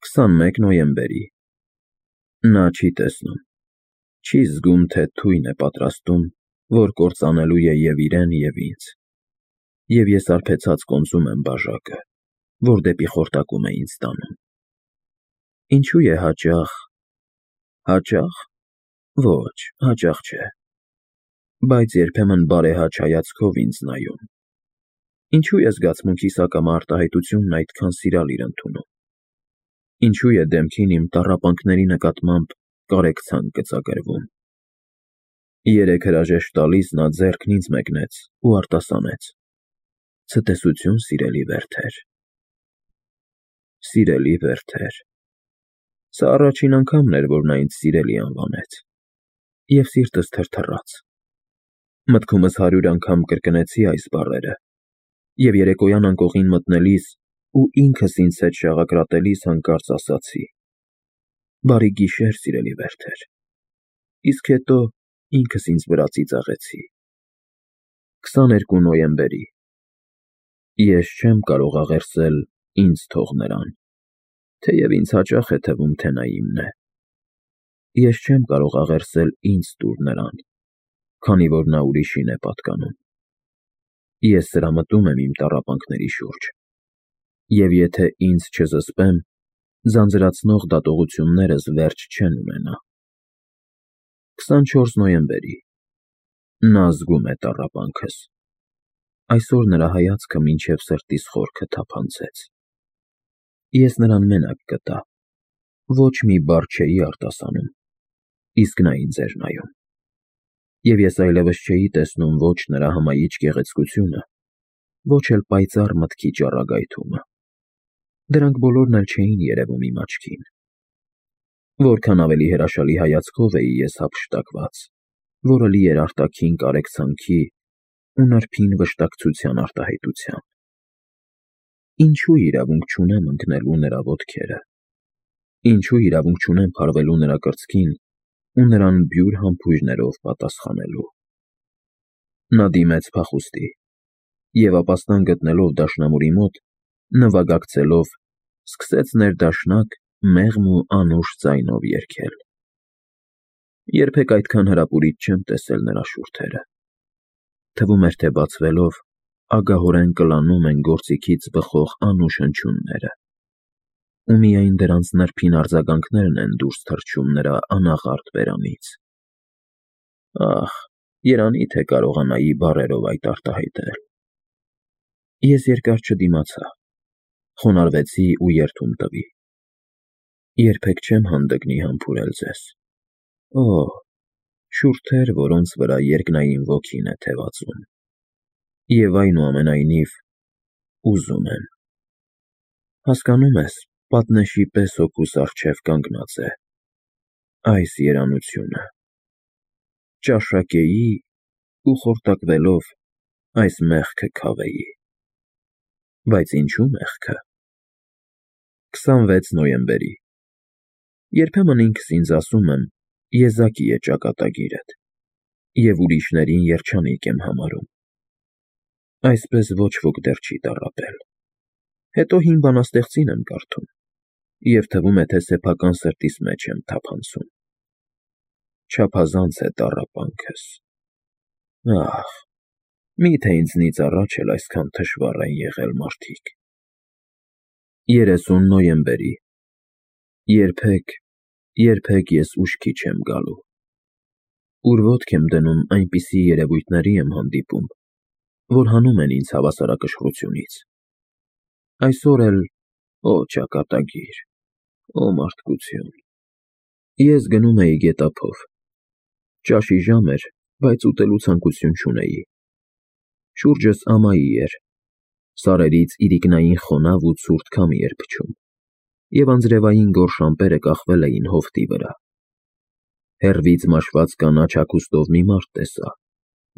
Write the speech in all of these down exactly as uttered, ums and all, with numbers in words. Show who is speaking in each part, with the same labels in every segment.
Speaker 1: քսանմեկ նոյեմբերի Նա չի տեսնում, չի զգում, թե թույն է պատրաստում, որ կործանելու է և իրեն, և ինձ, և ես արբեցած կոնծում եմ բաժակը, որ դեպի խորտակում է ինձ տանում։ Ինչու է հաճախ, հաճախ, ոչ, հաճախ չէ, բայց երբեմն բարեհաճ հայացքով ինձ նայում։ Ինչու է զգացմունքիս ակամա արտահայտությունն այդքան սիրալիր ընդունում։ Ինչու է դեմքին իմ տառապանքների նկատմամբ կարեկցանք գծագրվում։ Երեկ հրաժեշտ տալիս նա ձեռքն ինձ մեկնեց ու արտասանեց. «Ցտեսություն, սիրելի Վերթեր»։ Սիրելի Վերթեր։ Սա առաջին անգամն էր, որ նա ինձ սիրելի անվանեց, և սիրտս թրթռաց։ Մտքումս հարյուր անգամ կրկնեցի այս բառերը, և երեկոյան անկողին մտնելիս ու ինքս ինձ հետ շաղակրատելիս հանկարծ ասացի. «Բարի գիշեր, սիրելի Վերթեր», իսկ հետո ինքս ինձ վրա ծիծաղեցի։ քսաներկու նոյեմբերի Ես չեմ կարող աղերսել ինձ թող նրան, թեև ինձ հաճախ է թվում, թե նա իմն է։ Ես չեմ կարող աղերսել ինձ տուր նրան, քանի որ նա ուրիշին է պատկանում։ Ես սրամտում եմ իմ տառապանքների շուրջ, և եթե ինձ չզսպեմ, ձանձրացնող դատողություններս վերջ չեն ունենա։ քսանչորս նոյեմբերի Նա զգում է տառապանքս։ Այսօր նրա հայացքը մինչև սրտիս խորքը թափանցեց։ Ես նրան մենակ գտա, ոչ մի բառ չէի արտասանում, իսկ նա ինձ էր նայում։ Եվ ես այլևս չէի տեսնում ոչ նրա հմայիչ գեղեցկությունը, ոչ էլ պայծառ մտքի ճառագայթումը։ Դրանք բոլորն էլ չէին երևում իմ աչքին։ Որքան ավելի հրաշալի հայացքով էի ես հափշտակված, որը լի էր արտաքին կարեկցանքի ու նրբին վշտակցության արտահայտության։ Ինչու իրավունք չունեմ ընկնելու նրա ոտքերը։ Ինչու իրավունք չունեմ փարվելու նրա կրծքին ու նրան բյուր համբույրներով պատասխանելու։ Նա դիմեց փախուստի, և ապաստան գտնելով դաշնամուրի մոտ, նվագակցելով, սկսեց ներդաշնակ մեղմ ու անուշ ձայնով երգել։ Երբեք այդքան հրապուրիչ չեմ տեսել նրա շուրթերը։ Թվում էր, թե բացվելով, ագահորեն կլանում են գործիքից բխող անուշ հնչյունները, ու միայն դրանց նրբին արձագանքներն են դուրս թռչում նրա անաղարտ բերանից։ Ահ, երանի թե կարողանայի բառերով այդ արտահայտել։ Ես երկար չդիմացա, խոնարհվեցի ու երդում տվի. «Երբեք չեմ հանդգնի համբուրել ձեզ։ Օ, շուրթեր, որոնց վրա երկնային ոգին է թևածում, և այնուամենայնիվ ուզում եմ։ Հասկանում ես, պատնեշի պես հոգուս առջև կանգնած է այս երանությունը, ճաշակեի ու խորտակվելով այս մեղքը քավեի։ Բայց ինչու մեղքը»։ քսանվեց նոյեմբերի Երբեմն ինքս ինձ ասում եմ. եզակի է ճակատագիրդ, և ուրիշներին երջանիկ եմ համարում։ Այսպես ոչ ոք դեռ չի տառապել։ Հետո հին բանաստեղծին եմ կարդում, և թվում է, թե սեփական սրտիս մեջ եմ թափանցում։ Չափազանց է տառապանքս։ Ահ, մի՞թե ինձնից առաջ էլ այսքան թշվառ են եղել մարդիկ։ երեսուն նոյեմբերի Երբեք, երբեք ես ուշքի չեմ գալու։ Ուր ոտք եմ դնում, այնպիսի երևույթների եմ հանդիպում, որ հանում են ինձ հավասարակշռությունից։ Այսօր էլ, օ ճակատագիր, օ մարդկություն։ Ես գնում էի գետափով։ Ճաշի ժամ էր, բայց ուտելու ցանկություն չունեի։ Շուրջս ամայի էր, սարերից իրիկնային խոնավ ու ցուրտ քամի էր փչում, և անձրևային գորշ ամպերը կախվել էին հովտի վրա։ Հեռվից մաշված կանաչ հագուստով մի մարդ տեսա,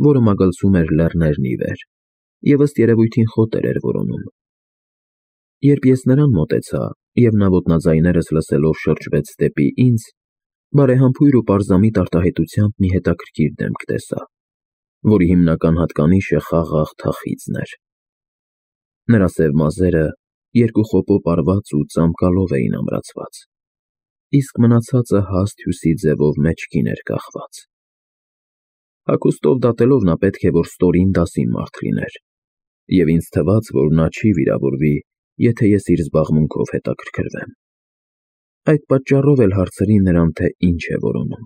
Speaker 1: որը մագլցում էր լեռներն ի վեր և ըստ երևույթին խոտեր էր որոնում։ Երբ ես նրան մոտեցա, և նա ոտնաձայներս լսելով շրջվեց դեպի ինձ, բարեհամբույր ու պարզամիտ արտահայտությամբ մի հետաքրքիր դեմք տեսա, որի հիմնական հատկանիշը խաղաղ թախիծն էր։ Նրա սև մազերը երկու խոպոպ արված ու ծամկալով էին ամրացված, իսկ մնացածը հաստ հյուսի ձևով մեջքին էր կախված։ Հագուստով դատելով նա պետք է որ ստորին դասին մարդ լիներ, և ինձ թվաց, որ նա չի վիրավորվի, եթե ես իր զբաղմունքով հետաքրքրվեմ։ Այդ պատճառով էլ հարցրի նրան, թե ինչ է որոնում։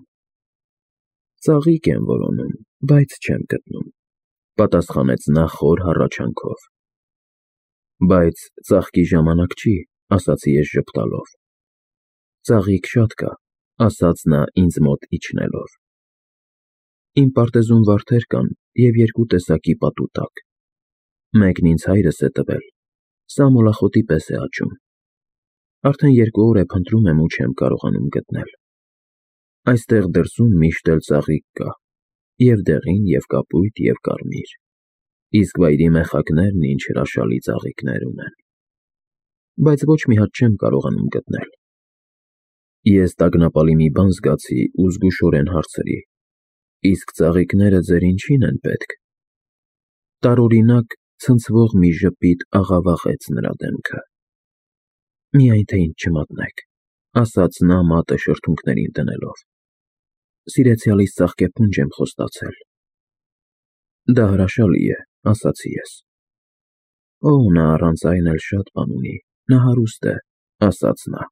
Speaker 1: Ծաղիկ եմ որոնում, բայց չեմ գտնում, պատասխանեց նա խոր հառաչանքով։ Բայց ծաղկի ժամանակ չի, ասացի ես ժպտալով։ Ծաղիկ շատ կա, ասաց նա ինձ մոտ իջնելով։ Իմ պարտեզում վարդեր կան և երկու տեսակի պատուտակ։ Մեկն ինձ հայրս է տվել, սա մոլախոտի պես է աճում։ Արդեն երկու օր է փնտրում եմ ու չեմ կարողանում գտնել։ Այստեղ դրսում միշտ էլ ծաղիկ կա, և դեղին, և կապույտ, և կարմիր, իսկ վայրի մեխակներն ինչ հրաշալի ծաղիկներ ունեն։ Բայց ոչ մի հատ չեմ կարողանում գտնել։ Ես տագնապալի մի բան զգացի ու զգուշորեն հարցրի. Իսկ ծաղիկները ձեր ինչին են պետք։ Տարօրինակ ցնցվող մի ժպիտ աղավաղեց նրա դեմքը։ Միայն թե ինձ չմատնեք, ասաց նա մատը շրթունքներին դնելով։ Սիրեցյալիս ծաղկեփունջ եմ խոստացել։ Դա հրաշալի է, ասացի ես։ Օ, նա առանց այն էլ շատ բան ունի, նա հարուստ է, ասաց նա։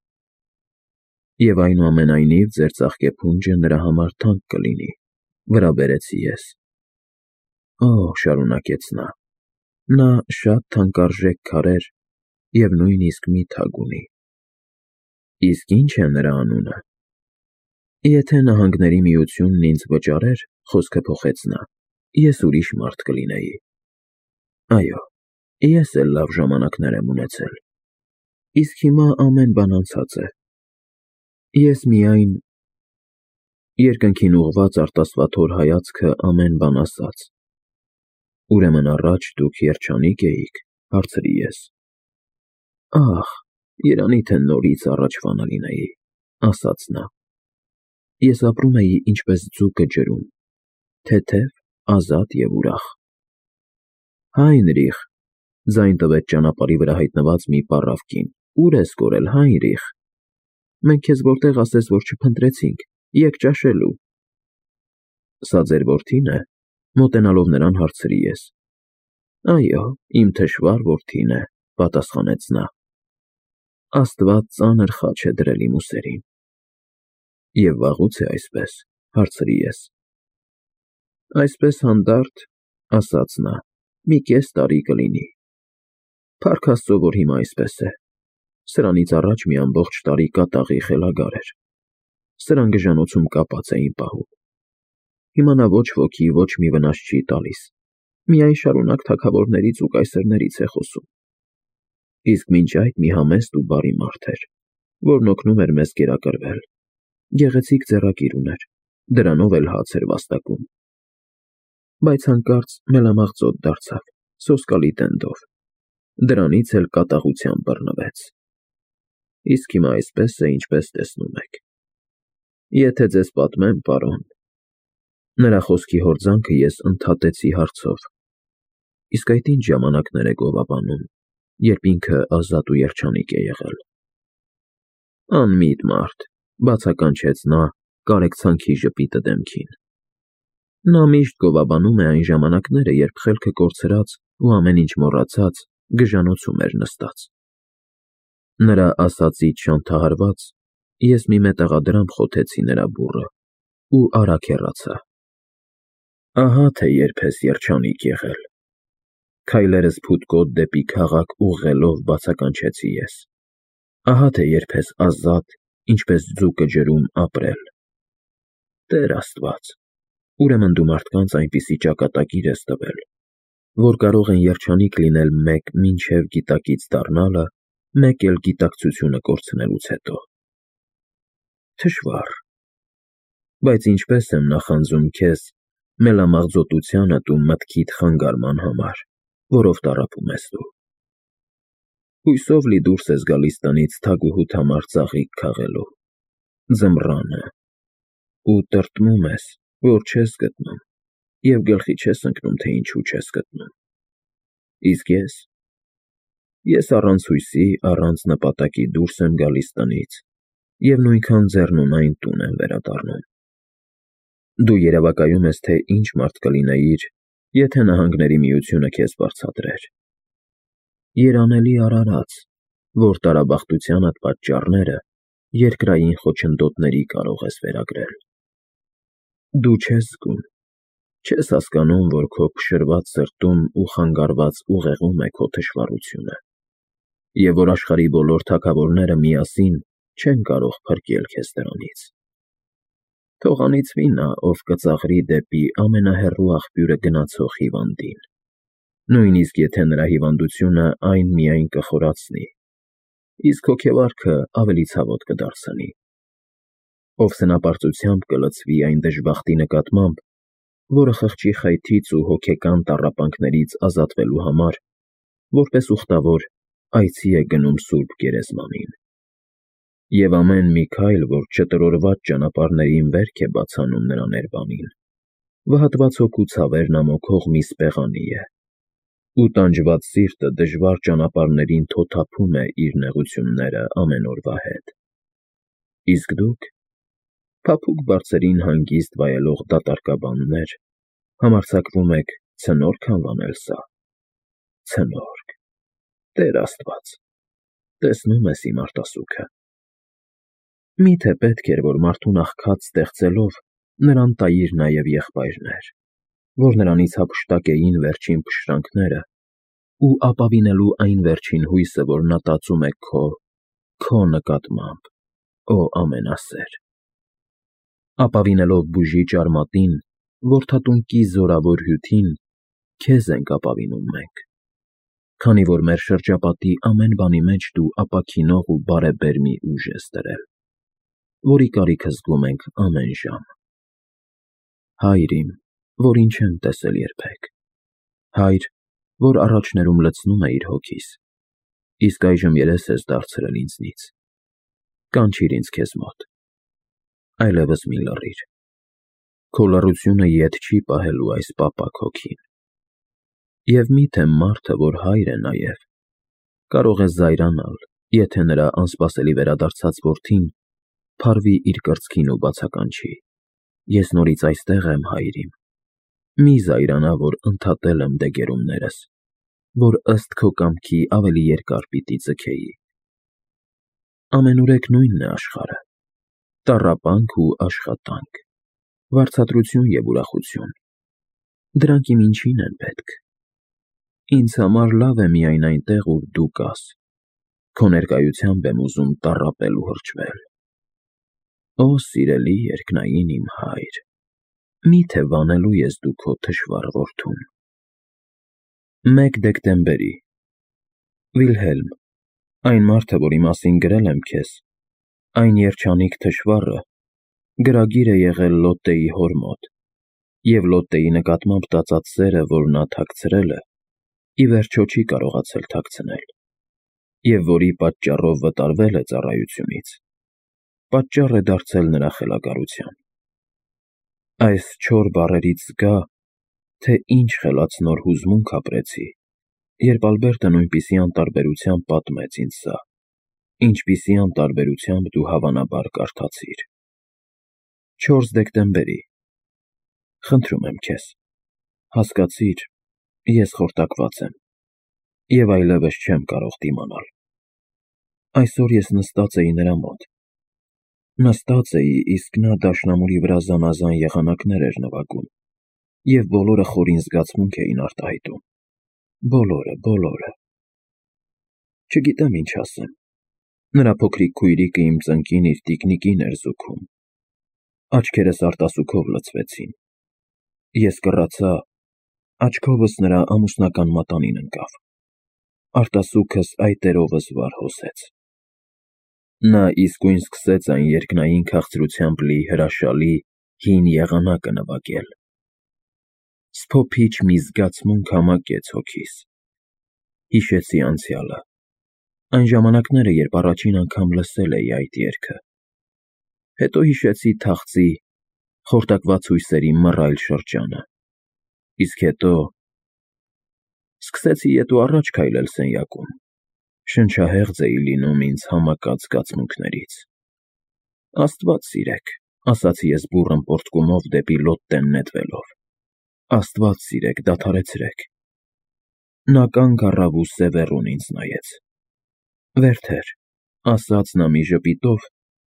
Speaker 1: Եվ այնուամենայնիվ ձեր ծաղկեփունջը նրա համար թանկ կլինի, վրա բերեցի ես։ Օ, շարունակեց նա, նա շատ թանկարժեք քարեր և նույնիսկ մի թագ ունի։ Իսկ ի՞նչ է նրա անունը։ Եթե նահանգների միությունն ինձ վճարեր, խոսքը փոխեց նա, ես ուրիշ մարդ կլինեի։ Այո, ես էլ լավ ժամանակներ եմ ունեցել։ Իսկ հիմա ամեն բան անցած է։ Ես միայն… Երկնքին ուղղված արտասվաթոր հայացքը ամեն բան ասաց։ Ուրեմն առաջ դուք երջանիկ էիք, հարցրի ես։ Ահ, երանի թե նորից առաջվանը լինեի, ասաց նա։ Ես ապրում էի ինչպես ձուկը ջրում, թեթև, ազատ և ուրախ։ Հայնրիխ, ձայն տվեց ճանապարհի վրա հայտնված մի պառավ կին, ուր ես կորել, Հայնրիխ։ Մենք քեզ որտեղ ասես, որ չփնտրեցինք, եկ ճաշելու։ Սա ձեր որդի՞ն է, մոտենալով նրան հարցրի ես։ Այո, իմ թշվառ որդին է, պատասխանեց նա։ Աստված ծանր խաչ է դրել իմ ուսերին։ Եվ վաղուց է այսպես, հարցրի ես։ Այսպես հանդարտ, ասաց նա, մի կես տարի կլինի։ Փառք Աստծո, որ հիմա այսպես է։ Սրանից առաջ մի ամբողջ տարի կատաղի խելագար էր։ Սրան գժանոցում կապած էին պահում։ Հիմա նա ոչ ոքի ոչ մի վնաս չի տալիս, միայն շարունակ թագավորներից ու կայսրներից է խոսում։ Իսկ մինչ այդ մի համեստ ու բարի մարդ էր, որն օգնում էր մեզ կերակրվել։ Գեղեցիկ ձեռագիր ուներ, դրանով էլ հաց էր վաստակում։ Բայց հանկարծ մելամաղձոտ դարձավ, սոսկալի տենդով, դրանից էլ կատաղությամբ բռնվեց։ Իսկ հիմա այսպես է, ինչպես տեսնում եք։ Եթե ձեզ պատմեմ, պարոն… Նրա խոսքի հորձանքը ես ընդհատեցի հարցով. Իսկ այդ ինչ ժամանակներ է գովաբանում, երբ ինքը ազատ ու երջանիկ է եղել։ Անմիտ մարդ, բացականչեց նա, կարեկցանքի ժպիտը դեմքին։ Նա միշտ գովաբանում է այն ժամանակները, երբ խելքը կորցրած ու ամեն ինչ մոռացած, գժանոցում էր նստած։ Նրա ասածից շանթահարված, ես մի մետաղադրամ խոթեցի նրա բուռը ու արագ հեռացա։ Ահա թե երբ ես երջանիկ եղել։ Քայլերս փութկոտ դեպի քաղաք ուղղելով բացականչեցի ես։ Ահա թե երբ ես ազատ, ինչպես ձուկը ջրում ապրել։ Տեր Աստված, ուրեմն դու մարդկանց այնպիսի ճակատագիր ես տվել, որ կարող են երջանիկ լինել մեկ մինչև գիտակից դառնալը, մեկ էլ գիտակցությունը կորցնելուց հետո։ Թշվառ։ Բայց ինչպես եմ նախանձում քեզ մելամաղձոտությանդ ու մտքիդ խանգարման համար, որով տառապում ես դու։ Հույսով լի դուրս ես գալիս տնից թագուհուդ համար ծաղիկ քաղելու, ձմռանը, ու տրտմում ես, որ չես գտնում, և գլխի չես ընկնում, թե ինչու չես գտնում։ Իսկ ես… Ես առանց հույսի, առանց նպատակի դուրս եմ գալիս տնից և նույնքան ձեռնունայն տուն եմ վերադառնում։ Դու երևակայում ես, թե ինչ մարդ կլինեիր, եթե նահանգների միությունը քեզ վարձատրեր։ Երանելի արարած, որ տարաբախտությանդ պատճառները երկրային խոչընդոտների կարող ես վերագրել։ Դու չես զգում, չես հասկանում, որ քո փշրված սրտում ու խանգարված ուղեղում է քո թշվառությունը, և որ աշխարհի բոլոր թագավորները միասին չեն կարող փրկել քեզ դրանից։ Թող անիծվի նա, ով կծաղրի դեպի ամենահեռու աղբյուրը գնացող հիվանդին, նույնիսկ եթե նրա հիվանդությունը այն միայն կխորացնի, իսկ հոգեվարքը ավելի ցավոտ կդարձնի։ Ով սնապարծությամբ կլցվի այն դժբախտի նկատմամբ, որը խղճի խայթից ու հոգեկան տառապանքներից ազատվելու համար, որպես ուխտավոր, այցի է գնում սուրբ գերեզմանին։ Եվ ամեն մի քայլ, որ չտրորված ճանապարհներին վերք է բաց անում նրա ներբանին, վհատված հոգու ցավերն ամոքող մի սպեղանի է, ու տանջված սիրտը դժվար ճանապարհներին թոթափում է իր նեղությունները ամեն օրվա հետ։ Իսկ դուք, փափուկ բարձրին հանգիստ վայելող դատարկաբաններ, համարձակվում եք ցնորք անվանել սա։ Ցնորք, Տեր Աստված, տեսնում ես իմ արտասուքը։ Մի՞թե պետք էր, որ մարդուն աղքատ ստեղծելով նրան տայիր նաև եղբայրներ, որ նրանից հափշտակեին վերջին փշրանքները ու ապավինելու այն վերջին հույսը, որ նա տածում է քո, քո նկատմամբ, օ ամենասեր։ Ապավինելով բուժիչ արմատին, որդատունկի զորավոր հյութին, քեզ ենք ապավինում մենք, քանի որ մեր շրջապատի ամեն բանի մեջ դու ապաքինող ու բարեբեր մի ուժ ես դրել, որի կարիքը զգում ենք ամեն ժամ։ Հայր իմ, որին չեմ տեսել երբեք, Հայր, որ առաջներում լցնում է իր հոգիս, իսկ այժմ երես ես դարձրել ինձնից, կանչիր ինձ քեզ մոտ, այլևս մի լռիր, քո լռությունը ետ չի պահելու այս պապակ հոգին։ Եվ միթե մարդը, որ հայր է նաև, կարող է զայրանալ, եթե նրա անսպասելի վերադարձած որդին փարվի իր կրծքին ու բացականչի. ես նորից այստեղ եմ, հայր իմ, մի զայրանա, որ ընդհատել եմ դեգերումներս, որ ըստ քո կամքի ավելի երկար պիտի ձգեի։ Ամենուրեք նույնն է աշխարհը, տառապանք ու աշխատանք, վարձատրություն և ուրախություն, դրանք իմ ինչին են պետք։ Ինձ համար լավ է միայն այնտեղ, ուր դու կաս, քո ներկայությամբ եմ ուզում տառապել ու հրճվել։ Օ սիրելի երկնային իմ Հայր, մի՞թե վանելու ես դու քո թշվառ որդուն։ մեկ դեկտեմբերի Վիլհելմ, այն մարդը, որի մասին գրել եմ քեզ, այն երջանիկ թշվառը, գրագիր է եղել Լոտտեի հոր մոտ, և Լոտտեի նկատմամբ տածած սերը, որ նա թաքցրել է, ի վերջո չի կարողացել թաքցնել, և որի պատճառով վտարվել է ծառայությունից, պատճառ է դարձել նրա խելագարության։ Այս չոր բառերից զգա, թե ինչ խելացնոր հուզմունք ապրեցի, երբ Ալբերտը նույնպիսի անտարբերությամբ պատմեց ինձ սա, ինչպիսի անտարբերությամբ դու հավանաբար կարդացիր։ չորս դեկտեմբերի Խնդրում եմ քեզ, հասկացիր, ես խորտակված եմ, և այլևս չեմ կարող դիմանալ։ Այսօր ես նստած էի նրա մոտ, նստած էի, իսկ նա դաշնամուրի վրա զանազան եղանակներ էր նվագում, և բոլորը խորին զգացմունք էին արտահայտում, բոլորը, բոլորը։ Չգիտեմ ինչ ասեմ, նրա փոքրիկ քույրիկը իմ ծնկին իր տիկնիկին էր զուգում, աչքերս արտասուքով լցվեցին, ես կռացա, աչքովս նրա ամուսնական մատանին ընկավ, արտասուքս այտերովս վար հոսեց։ Նա իսկույն սկսեց այն երկնային քաղցրությամբ լի հրաշալի հին եղանակը նվագել։ Սփոփիչ մի զգացմունք համակեց հոգիս։ Հիշեցի անցյալը, այն ժամանակները, երբ առաջին անգամ լսել էի այդ երգը, հետո հիշեցի թախծի, խորտակված հույսերի մռայլ շրջանը, իսկ հետո… սկսեցի ետ ու առաջ քայլել սենյակում, Շնչահեղձ էի լինում ինձ համակած զգացմունքներից։ Աստված սիրեք, ասացի ես բուռն պոռթկումով դեպի լոտտեն նետվելով։ Աստված սիրեք, դադարեցրեք։ Նա կանգ առավ ու սևեռուն ինձ նայեց։ Վերթեր, ասաց նա մի ժպիտով,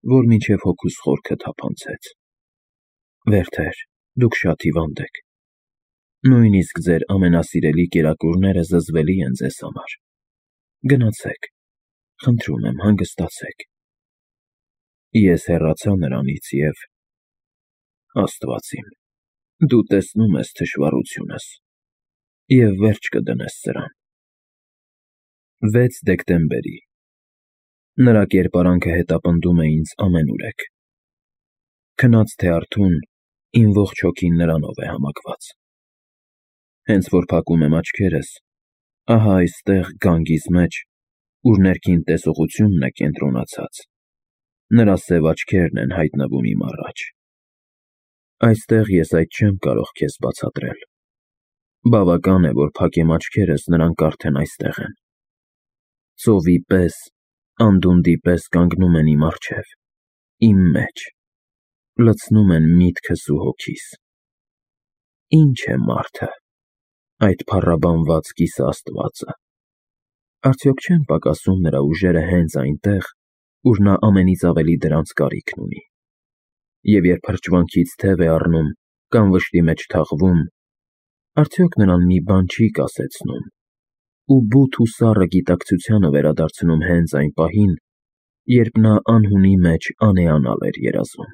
Speaker 1: որ մինչև հոգուս խորքը թափանցեց։ Վերթեր, դուք շատ հիվանդ եք։ Նույնիսկ ձեր ամենասիրելի կերակուրները զզվելի են ձեզ համար։ Գնացեք, խնդրում եմ, հանգստացեք։ Ես հեռացա նրանից և… Աստված իմ, դու տեսնում ես թշվառությունս և վերջ կդնես սրան։ վեց դեկտեմբերի Նրա կերպարանքը հետապնդում է ինձ ամենուրեք։ Քնած թե արթուն, իմ ողջ հոգին նրանով է համակված։ Հենց որ փակում եմ աչքերս, ահա այստեղ գանգիս մեջ, ուր ներքին տեսողությունն է կենտրոնացած, նրա սև աչքերն են հայտնվում իմ առաջ։ Այստեղ ես այդ չեմ կարող քեզ բացատրել։ Բավական է, որ փակեմ աչքերս, նրանք արդեն այստեղ են։ Ծովի պես, անդունդի պես կանգնում են իմ առջև, իմ մեջ, լցնում են միտքս ու հոգիս։ Ի՞նչ է մարդը, այդ փառաբանված կիսաաստվածը։ Արդյոք չեն պակասում նրա ուժերը հենց այնտեղ, ուր նա ամենից ավելի դրանց կարիքն ունի։ Եվ երբ հրճվանքից թև է առնում կամ վշտի մեջ թաղվում, արդյոք նրան մի բան չի կասեցնում ու բութ ու սառը գիտակցությանը վերադարձնում հենց այն պահին, երբ նա անհունի մեջ անեանալ էր երազում։